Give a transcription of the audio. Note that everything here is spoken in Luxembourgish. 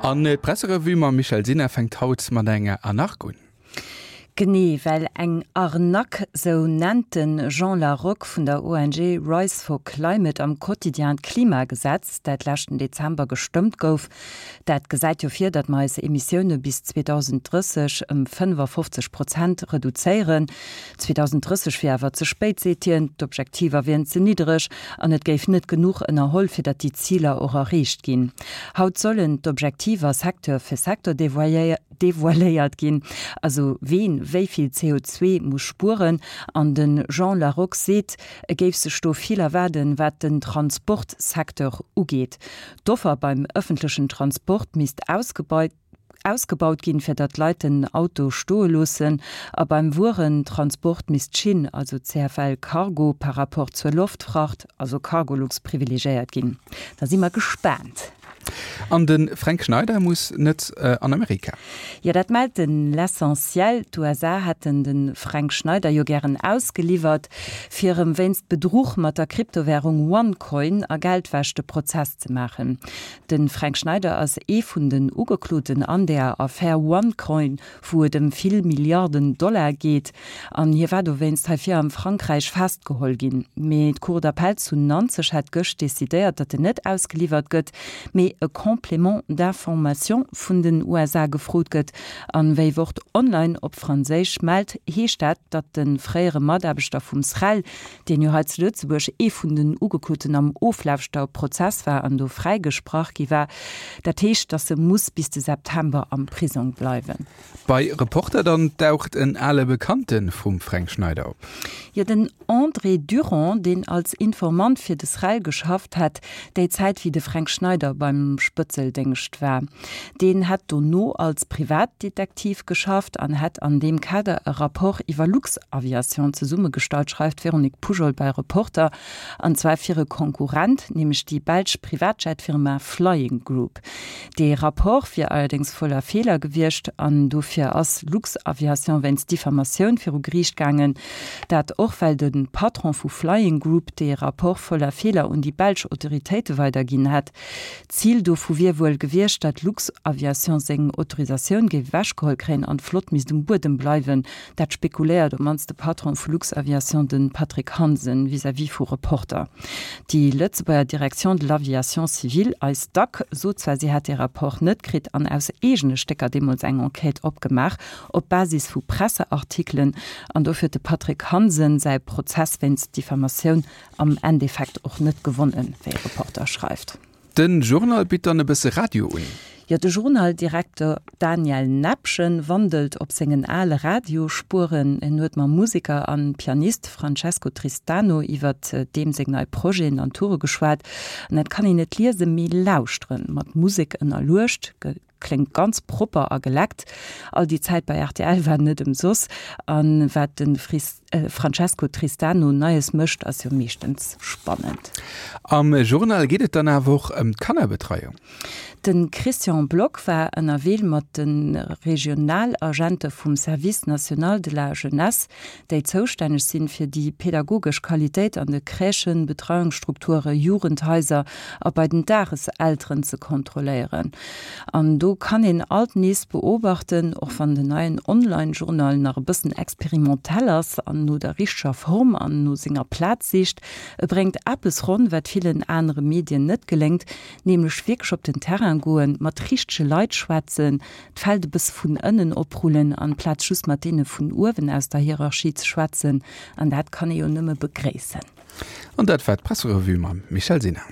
An d'Presserevue mam Michèle Sinner fänkt haut mat enger Anark un. Genee, well eng Arnaque, sou nennt de Jean Larocque vun der ONG Rise for Climate am Quotidien d'Klimagesetz, dat leschten Dezember gestëmmt gouf. Dat gesäit jo vir, datt mer eis Emissioune bis 2030 ëm 55 Prozent reduzéieren. 2030 wier awer ze spéit, seet hien, d'Objektiver wieren ze niddereg an et géif net genuch ënnerholl, fir datt déi Ziler och erreecht ginn. Haut sollen d'Objektiver Secteur fir Secteur devoiléiert ginn, also ween wéi vill CO2 muss spueren. An de Jean Larocque seet, e géif sech do vill erwaarden, wat den Transportsecteur ugeet. D'Offer beim ëffentlechen Transport misst ausgebaut. Ausgebaut ginn, fir datt d'Leit den Auto stoe loossen, a beim Wuerentransport misst d'Schinn, also CFL Cargo, par rapport zur Loftfracht, also Cargolux, privilegiéiert ginn. Da si mer gespaant. An de Fränk Schneider muss net an Amerika. Jo, dat mellt den L'Essentiel. D'USA hätten de Fränk Schneider jo gären ausgeliwwert, fir em wéinst Bedruch mat der Kryptowärung OneCoin a Geldwäsch de Prozess ze maachen. De Fränk Schneider ass ee vun den Ugekloten an der Affär OneCoin, wou et ëm vill Milliarden Dollar geet. An hie war dowéinst heivir am Frankräich festgeholl ginn. Mee d'Cour d'appel zu Nanzeg hätt gëscht decidéiert, datt en net ausgeliwwert gëtt, mee e Complément d'information vun den USA gefrot gëtt. An wéi Wort Online op Franséisch mellt, heescht dat, datt de fréiere Mataarbechter vum SREL, deen jo hei zu Lëtzebuerg ee vun den Ugekloten am Oflauschter-Prozess war an do fräigesprach gi war. Dat heescht, datt e muss bis de September am Prisong bleiwen. Bei Reporter dann daucht en ale Bekannte vum Fränk Schneider op. Jo, den André Durand, deen als Informant fir de SREL geschafft hätt, déi Zäit wéi de Fränk Schneider beim Spëtzeldéngscht war. Deen hätt dono als Privatdetektiv geschafft an hätt an deem Kader e Rapport iwwer Luxaviation zesummegestallt, schreift d'Véronique Poujol bei Reporter, an zwar fir e Konkurrent, nämlech déi belsch Privatjetfirma Flying Group. Dee Rapport wier allerdéngs voller Feeler gewiescht an dofir ass Luxaviation wéinst Diffamatioun viru Geriicht gaangen. Dat och well de Patron vu Flying Group dee Rapport voller Feeler un déi belsch Autoritéite weiderginn hätt. D'Zil dovu wier wuel gewiescht, datt Luxaviation seng Autorisatioun géif ewechgeholl kréien an d'Flott misst um Buedem bleiwen. Dat spekuléiert op mannst de Patron vu Luxaviation, de Patrick Hansen, vis-à-vis vu Reporter. Déi Lëtzebuerger Direction de l'aviation civile, eis dac, sot zwar, si hätt dee Rapport net kritt an aus eegene Stécker deemools eng Enquête opgemaach, op Basis vu Presseartikelen. An dofir huet de Patrick Hansen säi Prozess wéinst Diffamatioun am Endeffekt och net gewonnen, wéi Reporter schreift. Den Journal bitt dann e bësse Radio un. Jo, de Journaldirekter Daniel Nepgen wandelt op sengen ale Radiospueren. En huet mam Museker an Pianist Francesco Tristano iwwert deem seng nei Projeten an Toure geschwat. An dat kann een net liesen, mee lauschteren, mat Musek ënnerluecht. Kléngt ganz propper a geleckt. All déi Zäit bei rtl war net ëmsoss. A wat de Francesco Tristano Neies mécht, ass jo meeschtens spannend. Am Journal geet et dann awer och ëm d'Kannerbetreiung. De Christian Block war ënnerwee mat de Regionalagente vum Service national de la jeunesse, déi zoustänneg sinn, fir déi pedagogesch Qualitéit an de Crèchen, Betreiungsstrukture, Jugendhaiser a bei den Dageselteren ze kontrolléieren. An do kann een alt nees beobachten, och wann den neien Online-Journal nach e bëssen experimentell ass an no der richteger Form an no senger Plaz sicht, e bréngt eppes ronn, wat villen anere Medien net geléngt, nämlech wierklech op den Terrain goen, mat richtege Leit schwätzen, d'Feld e bësse vun ënnen oprullen, amplaz just mat deene vun uewen aus der Hierarchie ze schwätzen. An dat kann ee jo nëmme begréissen. An dat war d'Presserevue mam Michèle Sinner.